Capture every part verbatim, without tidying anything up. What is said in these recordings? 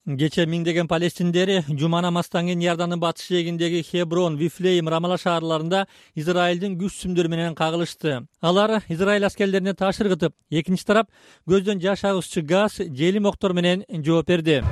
Кечээ миңдеген палестиндер жума намаздан кийин Иордандын батыш жээгиндеги Хеброн, Вифлеем, Рамала шаарларында Израилдин күч сүмдөр менен кагылышты. Алар Израиль аскерлерине таш ыргытып, экинчи тарап көздөн жаш агызчу газ, желим октор менен жооп берди.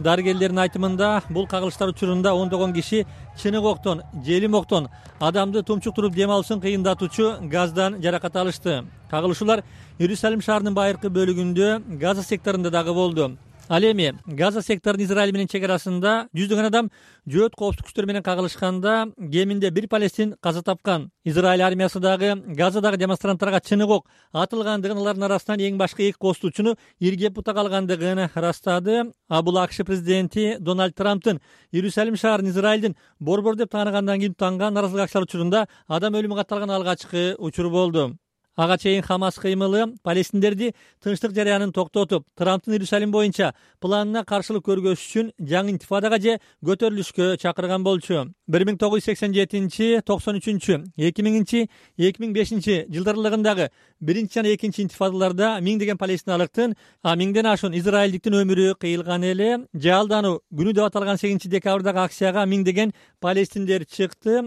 Дарыгерлердин айтымында бул кагылыштар учурунда ондогон киши чынык октон, желим октон адамды тумчуктуруп дем алышын кыйындатуучу газдан жаракат алышты. Кагылышуулар Иерусалим шаарынын байыркы бөлүгүндө Газа секторунда дагы болду. Ал эми Газа секторунун Израиль менен чек арасында жүздөгөн адам жөөт коопсуздук күчтөрү менен кагылышканда кеминде бир палестин каза тапкан. Израиль армиясы дагы Газадагы демонстранттарга чынык ок атылгандыгын, алардын арасынан эң башкы эки коопсуздуучуну иргеп бута калгандыгын ырастады. А бул АКШ президенти Дональд Трамптын Иерусалим шаарын Израилдин борбор деп тааныгандан кийин тутанган наразылык акчалар учурунда адам өлүмү катталган алгачкы учур болду. Ага чейин Хамас кыймылы палестиндерди тынчтык жарыянын токтотуп, Трамптын Иерусалим боюнча планына каршылык көргөзүш үчүн жаңы интифадага же көтөрүлүшкө чакырган болчу. бир миң тогуз жүз сексен жетинчи, токсон үчүнчү, эки миңинчи, эки миң бешинчи жылдар аралыгындагы биринчи жана экинчи интифадаларда миңдеген палестиналыктын, а миңден ашуун израилдиктин өмүрү кыйылган эле. Жаалдануу күнү деп аталган сегизинчи декабрдагы акцияга миңдеген палестиндер чыкты.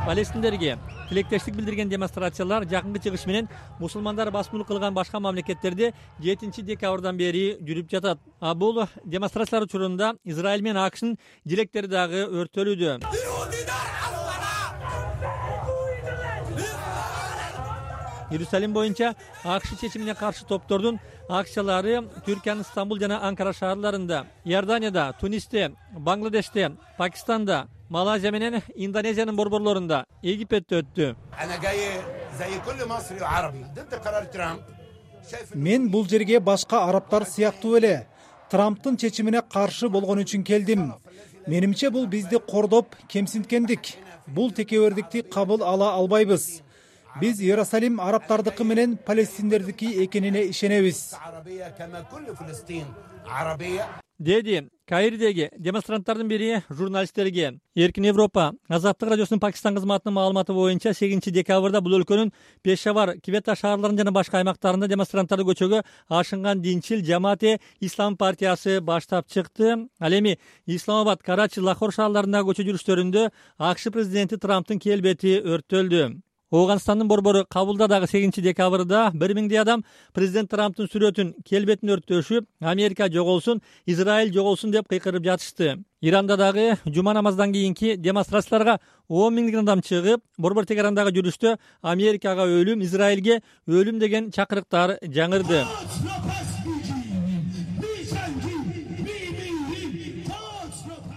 Палестиндерге тилектештик билдирген демонстрациялар жакынкы чыгыш менен мусулмандар басмылык кылган башка мамлекеттерде жетинчи декабрдан бери жүрүп жатат. А бул демонстрациялар учурунда Израиль менен АКШнын дилектери дагы өрттөлүүдө. Иерусалим боюнча АКШ чечимине каршы топтордун акциялары Түркиянын Стамбул жана Анкара шаарларында, Иорданияда, Тунисте, Бангладеште, Пакистанда, Малайзия менен Индонезиянын борборлорунда, Египетте өттү. Мен бул жерге башка арабтар сыяктуу эле Трамптын чечимине каршы болгон үчүн келдим. Менимче бул бизди кордоп кемсинткендик. Бул текебердикти кабыл ала албайбыз. Биз Иерусалим арабтардыкы менен палестиндердики экенине ишенебиз. Деди Каирдеги демонстранттардын бири журналисттерге. Эркин Европа Азаттык радиосунун Пакистан кызматынын маалыматы боюнча сегизинчи декабрда бул өлкөнүн Пешавар, Квета шаарларынын жана башка аймактарында демонстранттарды көчөгө ашынган Динчил Жамаате Ислам партиясы баштап чыкты. Ал эми Исламабад, Карачи, Лахор шаарларындагы көчө жүрүштөрүндө АКШ президенти Трамптын келбети өрттөлдү. Ооганстандын борбору Кабулда дагы сегизинчи декабрда бир миңдей адам президент Трамптын сүрөтүн, келбетин өрттөшүп, Америка жоголсун, Израиль жоголсун деп кыйкырып жатышты. Иранда дагы жума намаздан кийинки демонстрацияларга он миңдеген адам чыгып, борбор Тегерандагы жүрүштө Америкага өлүм, Израилге өлүм деген чакырыктар жаңырды.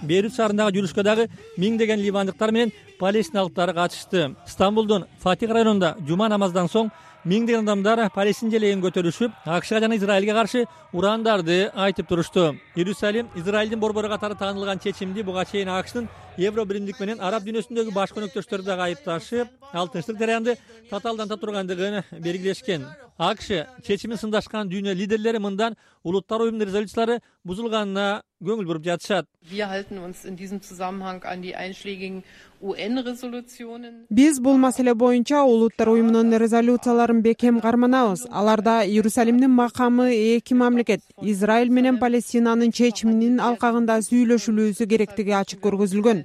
Бейрут шаарындагы жүрүшкө дагы миңдеген ливандыктар менен палестиналыктар катышты. Стамбулдун Фатих районунда жума намаздан соң миңдеген адамдар Палестин желегин көтөрүшүп, АКШга жана Израилге каршы урандарды айтып турушту. Иерусалим Израилдин борбору катары таанылган чечимди буга чейин АКШнын Евро биримдик менен араб дүйнөсүндөгү баш өнөктөштөрү дагы айыпташып, ал тынчтык жараянды татаалдан тургандыгын белгилешкен. АКШ чечимин сындашкан дүйнө лидерлери мындан улуттар уюмунун резолюциялары бузулганына көңүл буруп жатышат. Биз бул маселе боюнча улуттар уюмунун резолюцияларын бекем карманабыз. Аларда Иерусалимдин макамы эки мамлекет, Израиль менен Палестинанын чечиминин алкагында сүйлөшүлүүсү керектиги ачык көргөзүлгөн.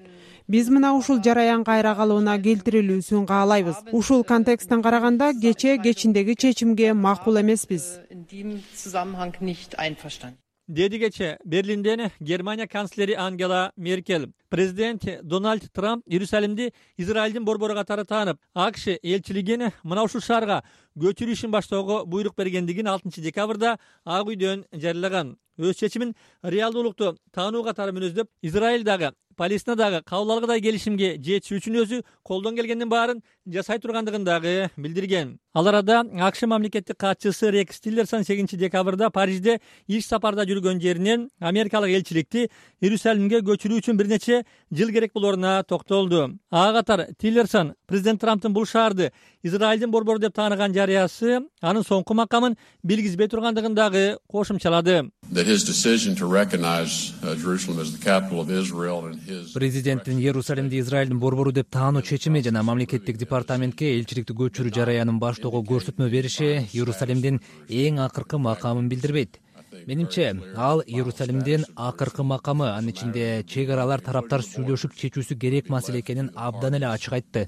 Биз мына ушул жараян кайра калууна келтирилүүсүн каалайбыз. Ушул контексттен караганда кече кечиндеги чечимге макул эмеспиз. Деди кече Берлинден Германия канцлери Ангела Меркель. Президент Дональд Трамп Иерусалимди Израилдин борбору катары таанып, АКШ элчилигин мына ушул шаарга көчүрүү ишин баштоого буйрук бергендигин алтынчы декабрда Ак үйдөн жарыяган. Өз чечимин реалдуулукту таануу катары мүнөздөп, Израиль дагы Палестина дагы кабыл алгыдай келишимге жетишүү үчүн өзү колдон келгендин баарын жасай тургандыгын дагы билдирген. Ал арада АКШ мамлекеттик катчысы Рекс Тиллерсон сегизинчи декабрда Парижде иш сапарда жүргөн жеринен америкалык элчиликти Иерусалимге көчүрүү үчүн бир нече эле жыл керек болоруна токтолду. Ага катар Тиллерсон президент Трамптын бул шаарды Израилдин борбору деп тааныган жарыясы анын соңку макамын билгизбей тургандыгын дагы кошумчалады. Президенттин Иерусалимди Израилдин борбору деп таануу чечими жана мамлекеттик департаментке элчиликти көчүрүү жараянын баштоого көрсөтмө бериши Иерусалимдин эң акыркы макамын билдирбейт. Менимче, ал Иерусалимдин акыркы макамы, анын ичинде чек аралар тараптар сүйлөшүп чечүүсү керек маселе экенин абдан эле ачык айтты.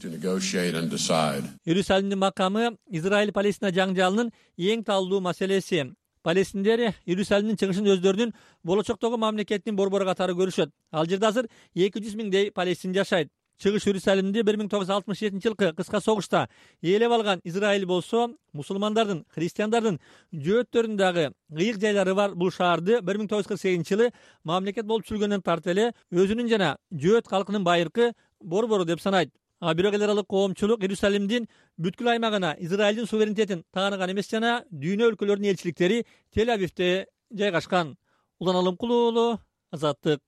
Иерусалимдин макамы Израиль-Палестина жаңжалынын эң талдуу маселеси. Палестиндер Иерусалимдин чыгышын өздөрүнүн болочоктогу мамлекеттин борбору катары көрүшөт. Ал жерде азыр эки жүз миңдей палестин жашайт. Чыгыш Иерусалимди бир миң тогуз жүз алтымыш жетинчи жылкы кыска согушта ээлеп алган Израиль болсо, мусулмандардын, христиандардын жөөттөрүнүн дагы кыйык жайлары бар бул шаарды бир миң тогуз жүз кырк сегизинчи жылы мамлекет болуп түзүлгөндөн тарты эле өзүнүн жана жөөт калкынын байыркы борбору деп санайт. А бирок эл аралык коомчулук Иерусалимдин бүткүл аймагына Израилдин суверенитетин тааныган эмес жана дүйнө өлкөлөрүнүн элчиликтери Тель-Авивде жайгашкан. Улан Алымкулуу, Азаттык.